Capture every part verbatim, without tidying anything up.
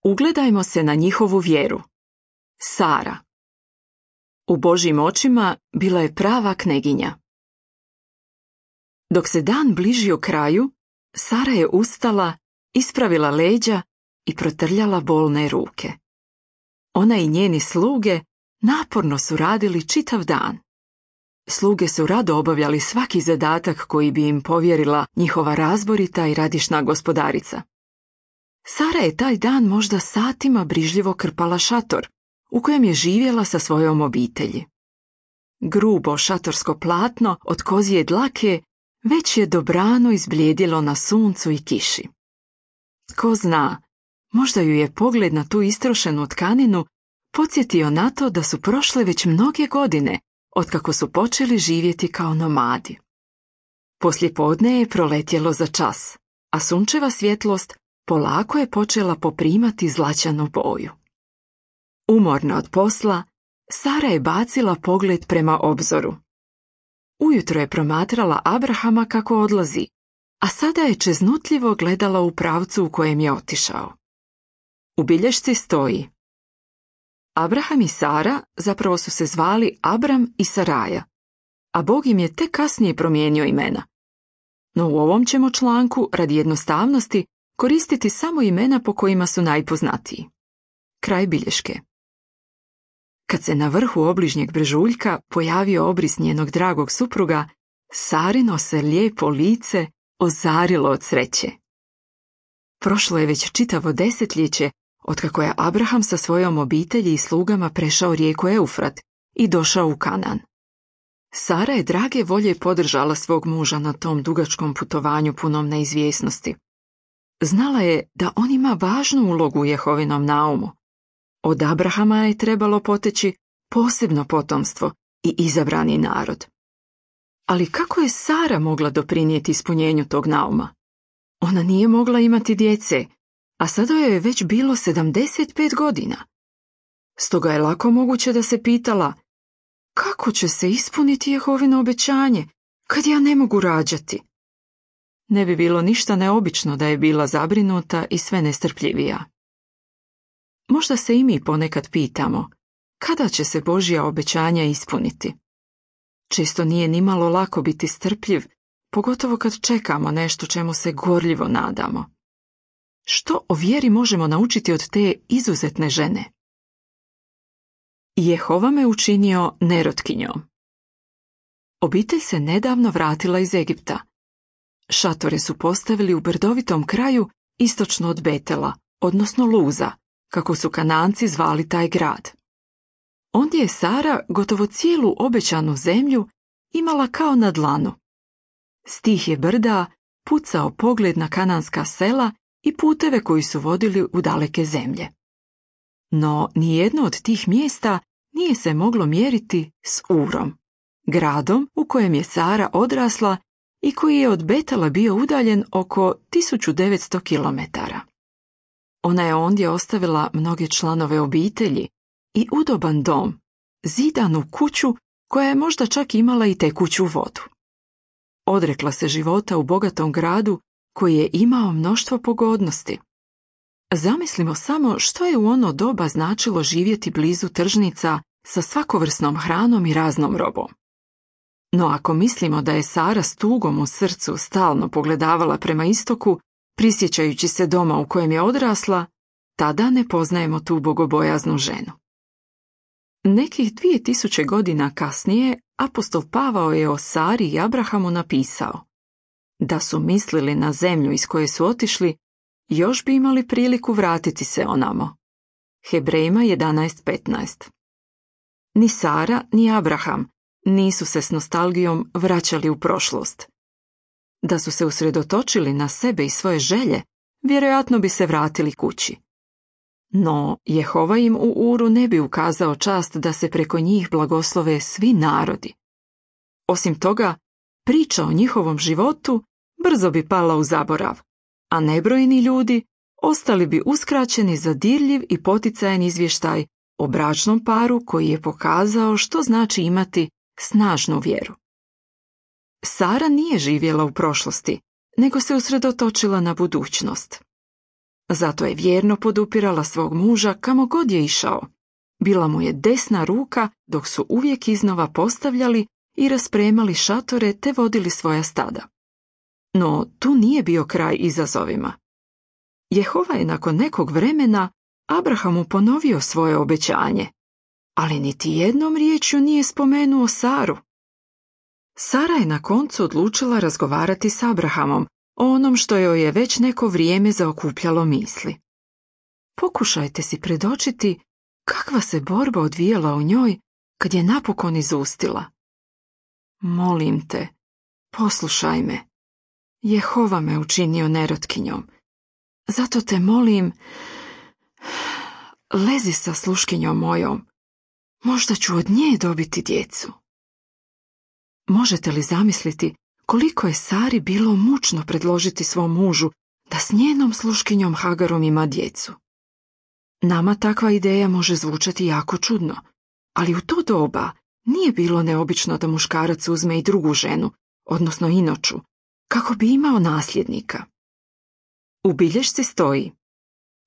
Ugledajmo se na njihovu vjeru. Sara. U Božjim očima bila je prava kneginja. Dok se dan bližio kraju, Sara je ustala, ispravila leđa i protrljala bolne ruke. Ona i njeni sluge naporno su radili čitav dan. Sluge su rado obavljali svaki zadatak koji bi im povjerila njihova razborita i radišna gospodarica. Sara je taj dan možda satima brižljivo krpala šator, u kojem je živjela sa svojom obitelji. Grubo šatorsko platno od kozije dlake već je dobrano izblijedilo na suncu i kiši. Ko zna, možda ju je pogled na tu istrošenu tkaninu podsjetio na to da su prošle već mnoge godine otkako su počeli živjeti kao nomadi. Poslijepodne je proletjelo za čas, a sunčeva svjetlost polako je počela poprimati zlaćanu boju. Umorna od posla, Sara je bacila pogled prema obzoru. Ujutro je promatrala Abrahama kako odlazi, a sada je čeznutljivo gledala u pravcu u kojem je otišao. U bilješci stoji: Abraham i Sara zapravo su se zvali Abram i Saraja, a Bog im je tek kasnije promijenio imena. No u ovom ćemo članku, radi jednostavnosti, koristiti samo imena po kojima su najpoznatiji. Kraj bilješke. Kad se na vrhu obližnjeg brežuljka pojavio obris njenog dragog supruga, Sarino se lijepo lice ozarilo od sreće. Prošlo je već čitavo desetljeće otkako je Abraham sa svojom obitelji i slugama prešao rijeku Eufrat i došao u Kanan. Sara je drage volje podržala svog muža na tom dugačkom putovanju punom neizvjesnosti. Znala je da on ima važnu ulogu u Jehovinom naumu. Od Abrahama je trebalo poteći posebno potomstvo i izabrani narod. Ali kako je Sara mogla doprinijeti ispunjenju tog nauma? Ona nije mogla imati djece, a sada joj je već bilo sedamdeset pet godina. Stoga je lako moguće da se pitala: kako će se ispuniti Jehovino obećanje kad ja ne mogu rađati? Ne bi bilo ništa neobično da je bila zabrinuta i sve nestrpljivija. Možda se i mi ponekad pitamo kada će se Božja obećanja ispuniti. Često nije nimalo lako biti strpljiv, pogotovo kad čekamo nešto čemu se gorljivo nadamo. Što o vjeri možemo naučiti od te izuzetne žene? Jehova me učinio nerotkinjom. Obitelj se nedavno vratila iz Egipta. Šatore su postavili u brdovitom kraju istočno od Betela, odnosno Luza, kako su Kananci zvali taj grad. Ondje je Sara gotovo cijelu obećanu zemlju imala kao na dlanu. S tih je brda pucao pogled na kananska sela i puteve koji su vodili u daleke zemlje. No nijedno od tih mjesta nije se moglo mjeriti s Urom, gradom u kojem je Sara odrasla i koji je od Betela bio udaljen oko tisuću devetsto kilometara. Ona je ondje ostavila mnoge članove obitelji i udoban dom, zidanu kuću koja je možda čak imala i tekuću vodu. Odrekla se života u bogatom gradu koji je imao mnoštvo pogodnosti. Zamislimo samo što je u ono doba značilo živjeti blizu tržnica sa svakovrsnom hranom i raznom robom. No ako mislimo da je Sara s tugom u srcu stalno pogledavala prema istoku, prisjećajući se doma u kojem je odrasla, tada ne poznajemo tu bogobojaznu ženu. Nekih dvije tisuće godina kasnije apostol Pavao je o Sari i Abrahamu napisao: da su mislili na zemlju iz koje su otišli, još bi imali priliku vratiti se onamo. Hebrejima jedanaest petnaest. Ni Sara, ni Abraham nisu se s nostalgijom vraćali u prošlost. Da su se usredotočili na sebe i svoje želje, vjerojatno bi se vratili kući. No, Jehova im u Uru ne bi ukazao čast da se preko njih blagoslove svi narodi. Osim toga, priča o njihovom životu brzo bi pala u zaborav, a nebrojeni ljudi ostali bi uskraćeni za dirljiv i poticajan izvještaj o bračnom paru koji je pokazao što znači imati snažnu vjeru. Sara nije živjela u prošlosti, nego se usredotočila na budućnost. Zato je vjerno podupirala svog muža kamo god je išao. Bila mu je desna ruka dok su uvijek iznova postavljali i raspremali šatore te vodili svoja stada. No tu nije bio kraj izazovima. Jehova je nakon nekog vremena Abrahamu ponovio svoje obećanje, ali niti jednom riječju nije spomenuo Saru. Sara je na koncu odlučila razgovarati s Abrahamom o onom što joj je već neko vrijeme zaokupljalo misli. Pokušajte si predočiti kakva se borba odvijala u njoj kad je napokon izustila. Molim te, poslušaj me. Jehova me učinio nerotkinjom. Zato te molim, lezi sa sluškinjom mojom. Možda ću od nje dobiti djecu. Možete li zamisliti koliko je Sari bilo mučno predložiti svom mužu da s njenom sluškinjom Hagarom ima djecu? Nama takva ideja može zvučati jako čudno, ali u to doba nije bilo neobično da muškarac uzme i drugu ženu, odnosno inoču, kako bi imao nasljednika. U bilješci stoji: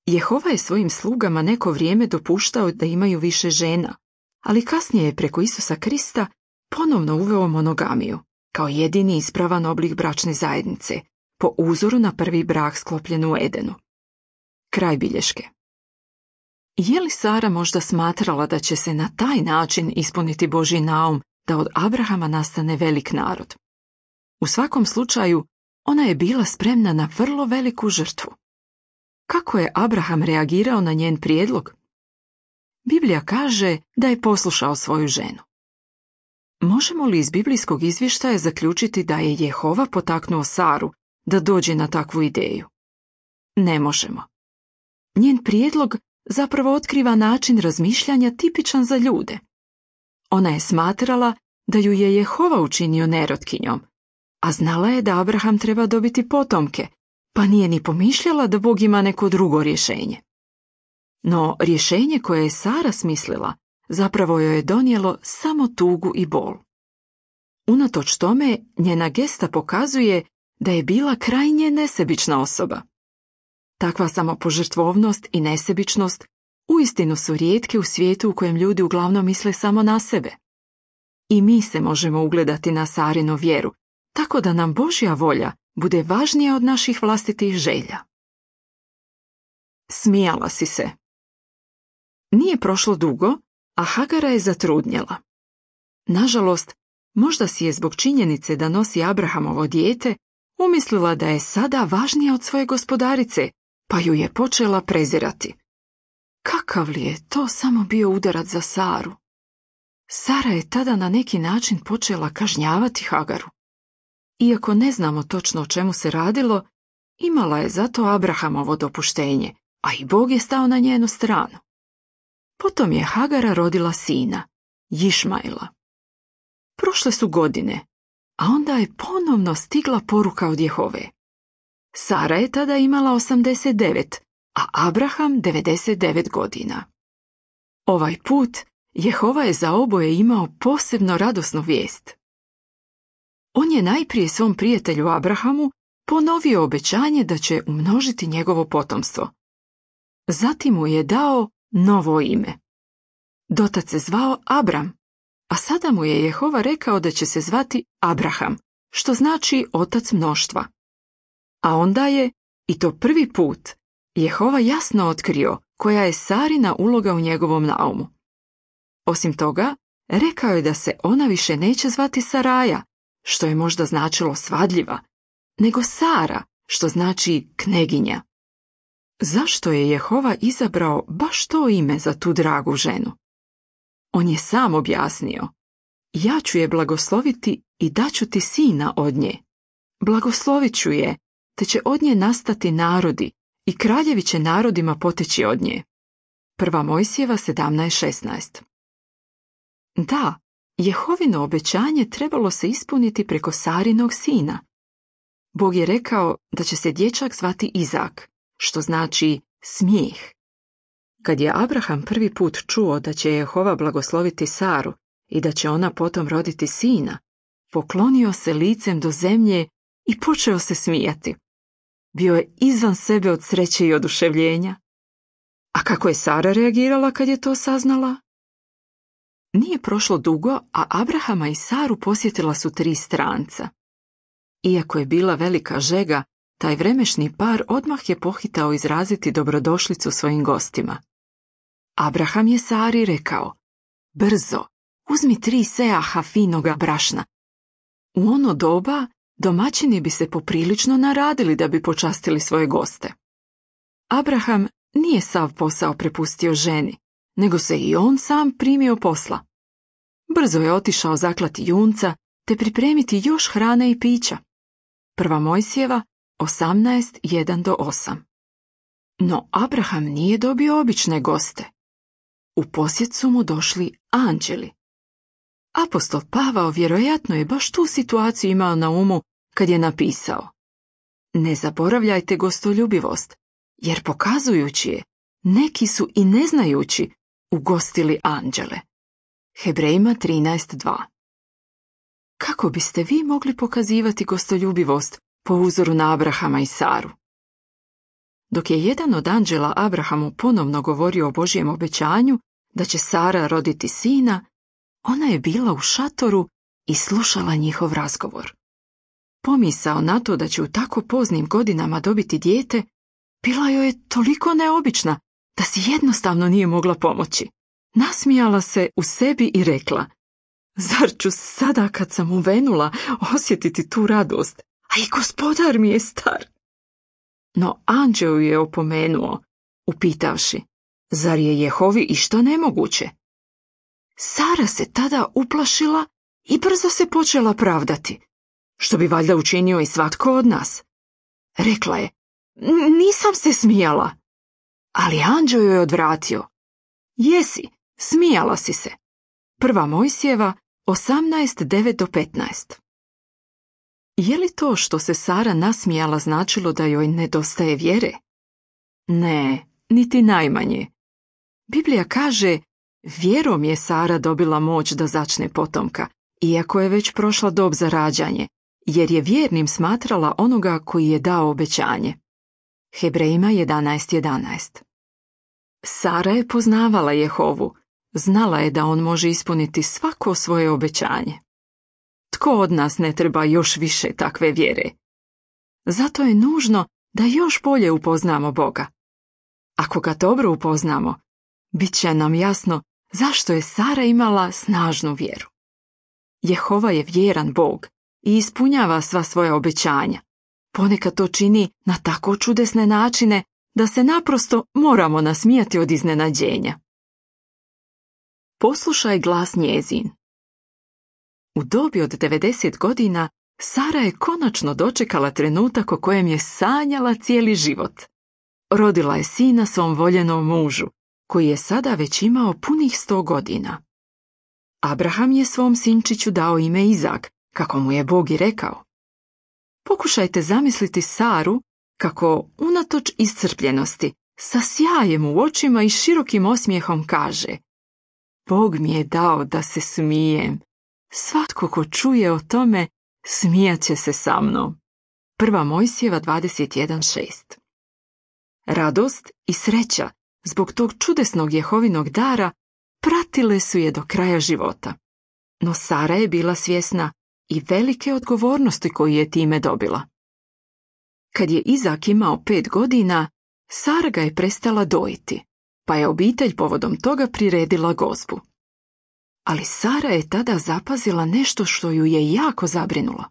Jehova je svojim slugama neko vrijeme dopuštao da imaju više žena, ali kasnije je preko Isusa Krista ponovno uveo monogamiju, kao jedini ispravan oblik bračne zajednice, po uzoru na prvi brak sklopljen u Edenu. Kraj bilješke. Je li Sara možda smatrala da će se na taj način ispuniti Božji naum da od Abrahama nastane velik narod? U svakom slučaju, ona je bila spremna na vrlo veliku žrtvu. Kako je Abraham reagirao na njen prijedlog? Biblija kaže da je poslušao svoju ženu. Možemo li iz biblijskog izvještaja zaključiti da je Jehova potaknuo Saru da dođe na takvu ideju? Ne možemo. Njen prijedlog zapravo otkriva način razmišljanja tipičan za ljude. Ona je smatrala da ju je Jehova učinio nerotkinjom, a znala je da Abraham treba dobiti potomke, pa nije ni pomišljala da Bog ima neko drugo rješenje. No rješenje koje je Sara smislila zapravo joj je donijelo samo tugu i bol. Unatoč tome, njena gesta pokazuje da je bila krajnje nesebična osoba. Takva samopožrtvovnost i nesebičnost uistinu su rijetke u svijetu u kojem ljudi uglavnom misle samo na sebe. I mi se možemo ugledati na Sarinu vjeru, tako da nam Božja volja bude važnija od naših vlastitih želja. Smijala si se. Nije prošlo dugo, a Hagara je zatrudnjela. Nažalost, možda si je zbog činjenice da nosi Abrahamovo dijete umislila da je sada važnija od svoje gospodarice, pa ju je počela prezirati. Kakav li je to samo bio udarac za Saru? Sara je tada na neki način počela kažnjavati Hagaru. Iako ne znamo točno o čemu se radilo, imala je zato Abrahamovo dopuštenje, a i Bog je stao na njenu stranu. Potom je Hagara rodila sina, Išmaila. Prošle su godine, a onda je ponovno stigla poruka od Jehove. Sara je tada imala osamdeset devet, a Abraham devedeset devet godina. Ovaj put Jehova je za oboje imao posebno radosnu vijest. On je najprije svom prijatelju Abrahamu ponovio obećanje da će umnožiti njegovo potomstvo. Zatim mu je dao novo ime. Dotad se zvao Abram, a sada mu je Jehova rekao da će se zvati Abraham, što znači otac mnoštva. A onda je, i to prvi put, Jehova jasno otkrio koja je Sarina uloga u njegovom naumu. Osim toga, rekao je da se ona više neće zvati Saraja, što je možda značilo svadljiva, nego Sara, što znači kneginja. Zašto je Jehova izabrao baš to ime za tu dragu ženu? On je sam objasnio: ja ću je blagosloviti i daću ti sina od nje. Blagoslovit ću je, te će od nje nastati narodi i kraljevi će narodima poteći od nje. Prva Mojsijeva sedamnaest šesnaest. Da, Jehovino obećanje trebalo se ispuniti preko Sarinog sina. Bog je rekao da će se dječak zvati Izak, što znači smijeh. Kad je Abraham prvi put čuo da će Jehova blagosloviti Saru i da će ona potom roditi sina, poklonio se licem do zemlje i počeo se smijati. Bio je izvan sebe od sreće i oduševljenja. A kako je Sara reagirala kad je to saznala? Nije prošlo dugo, a Abrahama i Saru posjetila su tri stranca. Iako je bila velika žega, taj vremešni par odmah je pohitao izraziti dobrodošlicu svojim gostima. Abraham je Sari rekao: brzo, uzmi tri seaha finoga brašna. U ono doba domaćini bi se poprilično naradili da bi počastili svoje goste. Abraham nije sav posao prepustio ženi, nego se i on sam primio posla. Brzo je otišao zaklati junca te pripremiti još hrane i pića. Prva Mojsijeva osamnaest jedan do osam. No Abraham nije dobio obične goste. U posjet su mu došli anđeli. Apostol Pavao vjerojatno je baš tu situaciju imao na umu kad je napisao: ne zaboravljajte gostoljubivost, jer pokazujući je, neki su i ne znajući ugostili anđele. Hebrejima trinaest dva. Kako biste vi mogli pokazivati gostoljubivost po uzoru na Abrahama i Saru? Dok je jedan od anđela Abrahamu ponovno govorio o Božjem obećanju da će Sara roditi sina, ona je bila u šatoru i slušala njihov razgovor. Pomisao na to da će u tako poznim godinama dobiti dijete bila joj je toliko neobična da si jednostavno nije mogla pomoći. Nasmijala se u sebi i rekla: zar ću sada kad sam uvenula osjetiti tu radost, a i gospodar mi je star? No anđeo je opomenuo, upitavši: zar je Jehovi išta nemoguće? Sara se tada uplašila i brzo se počela pravdati, što bi valjda učinio i svatko od nas. Rekla je: nisam se smijala. Ali anđeo joj je odvratio: jesi, smijala si se. Prva Mojsijeva osamnaest devet do petnaest. Je li to što se Sara nasmijala značilo da joj nedostaje vjere? Ne, niti najmanje. Biblija kaže: vjerom je Sara dobila moć da začne potomka, iako je već prošla dob za rađanje, jer je vjernim smatrala onoga koji je dao obećanje. Hebrejima jedanaest jedanaest. Sara je poznavala Jehovu, znala je da on može ispuniti svako svoje obećanje. Tko od nas ne treba još više takve vjere? Zato je nužno da još bolje upoznamo Boga. Ako ga dobro upoznamo, bit će nam jasno zašto je Sara imala snažnu vjeru. Jehova je vjeran Bog i ispunjava sva svoja obećanja. Ponekad to čini na tako čudesne načine da se naprosto moramo nasmijati od iznenađenja. Poslušaj glas njezin. U dobi od devedeset godina Sara je konačno dočekala trenutak o kojem je sanjala cijeli život. Rodila je sina svom voljenom mužu, koji je sada već imao punih sto godina. Abraham je svom sinčiću dao ime Izak, kako mu je Bog i rekao. Pokušajte zamisliti Saru kako, unatoč iscrpljenosti, sa sjajem u očima i širokim osmijehom kaže: Bog mi je dao da se smijem. Svatko ko čuje o tome, smijat će se sa mnom. Prva Mojsijeva dvadeset jedan šest. Radost i sreća zbog tog čudesnog Jehovinog dara pratile su je do kraja života. No Sara je bila svjesna i velike odgovornosti koju je time dobila. Kad je Izak imao pet godina, Sara ga je prestala dojiti, pa je obitelj povodom toga priredila gozbu. Ali Sara je tada zapazila nešto što ju je jako zabrinulo.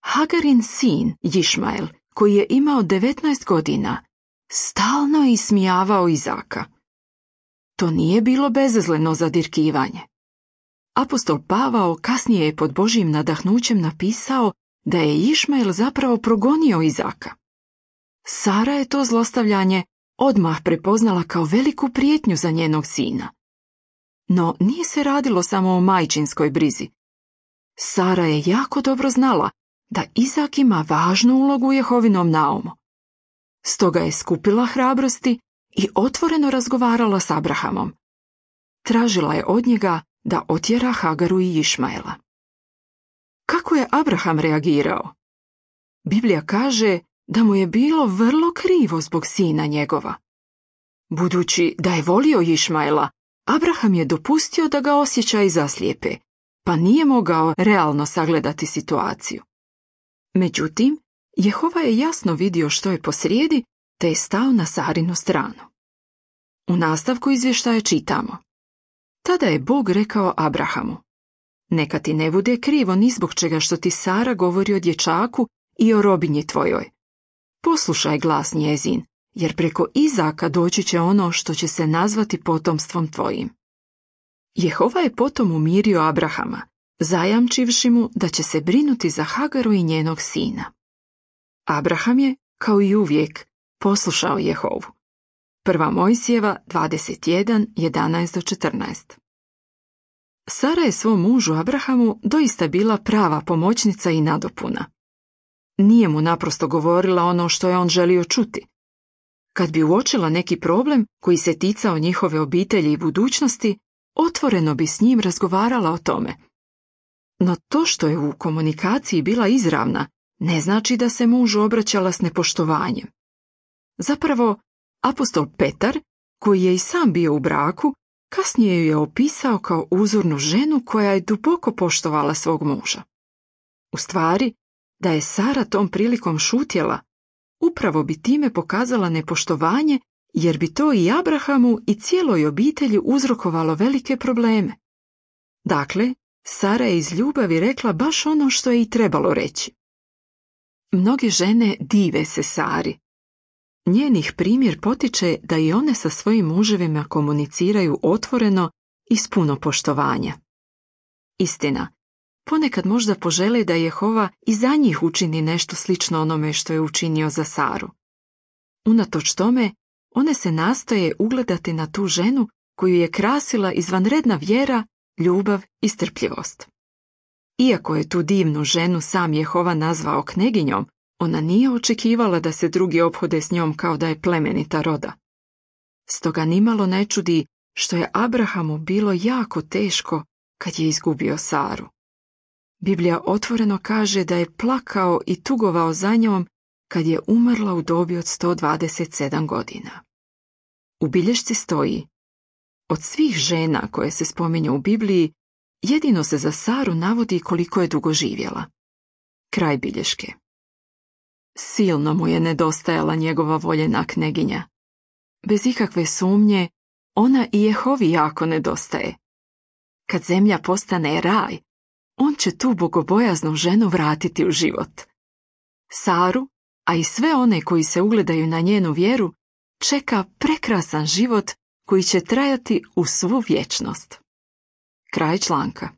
Hagarin sin, Išmael, koji je imao devetnaest godina, stalno je ismijavao Izaka. To nije bilo bezazleno zadirkivanje. Apostol Pavao kasnije je pod Božjim nadahnućem napisao da je Išmael zapravo progonio Izaka. Sara je to zlostavljanje odmah prepoznala kao veliku prijetnju za njenog sina. No nije se radilo samo o majčinskoj brizi. Sara je jako dobro znala da Izak ima važnu ulogu u Jehovinom naumu. Stoga je skupila hrabrosti i otvoreno razgovarala s Abrahamom. Tražila je od njega da otjera Hagaru i Išmaela. Kako je Abraham reagirao? Biblija kaže da mu je bilo vrlo krivo zbog sina njegova. Budući da je volio Išmaela, Abraham je dopustio da ga osjećaji zaslijepe, pa nije mogao realno sagledati situaciju. Međutim, Jehova je jasno vidio što je posrijedi, te je stao na Sarinu stranu. U nastavku izvještaja čitamo: Tada je Bog rekao Abrahamu: Neka ti ne bude krivo ni zbog čega što ti Sara govori o dječaku i o robinji tvojoj. Poslušaj glas njezin, jer preko Izaka doći će ono što će se nazvati potomstvom tvojim. Jehova je potom umirio Abrahama, zajamčivši mu da će se brinuti za Hagaru i njenog sina. Abraham je, kao i uvijek, poslušao Jehovu. Prva Mojsijeva dvadeset jedan, jedanaest do četrnaest. Sara je svom mužu Abrahamu doista bila prava pomoćnica i nadopuna. Nije mu naprosto govorila ono što je on želio čuti. Kad bi uočila neki problem koji se ticao njihove obitelji i budućnosti, otvoreno bi s njim razgovarala o tome. No to što je u komunikaciji bila izravna, ne znači da se mužu obraćala s nepoštovanjem. Zapravo, apostol Petar, koji je i sam bio u braku, kasnije ju je opisao kao uzornu ženu koja je duboko poštovala svog muža. U stvari, da je Sara tom prilikom šutjela, upravo bi time pokazala nepoštovanje, jer bi to i Abrahamu i cijeloj obitelji uzrokovalo velike probleme. Dakle, Sara je iz ljubavi rekla baš ono što je i trebalo reći. Mnoge žene dive se Sari. Njenih primjer potiče da i one sa svojim muževima komuniciraju otvoreno i s puno poštovanja. Istina, ponekad možda požele da Jehova i za njih učini nešto slično onome što je učinio za Saru. Unatoč tome, one se nastoje ugledati na tu ženu koju je krasila izvanredna vjera, ljubav i strpljivost. Iako je tu divnu ženu sam Jehova nazvao kneginjom, ona nije očekivala da se drugi ophode s njom kao da je plemenita roda. Stoga nimalo ne čudi što je Abrahamu bilo jako teško kad je izgubio Saru. Biblija otvoreno kaže da je plakao i tugovao za njom kad je umrla u dobi od sto dvadeset sedam godina. U bilješci stoji: Od svih žena koje se spominju u Bibliji, jedino se za Saru navodi koliko je dugo živjela. Kraj bilješke. Silno mu je nedostajala njegova voljena kneginja. Bez ikakve sumnje, ona i Jehovi jako nedostaje. Kad zemlja postane raj, on će tu bogobojaznu ženu vratiti u život. Saru, a i sve one koji se ugledaju na njenu vjeru, čeka prekrasan život koji će trajati u svu vječnost. Kraj članka.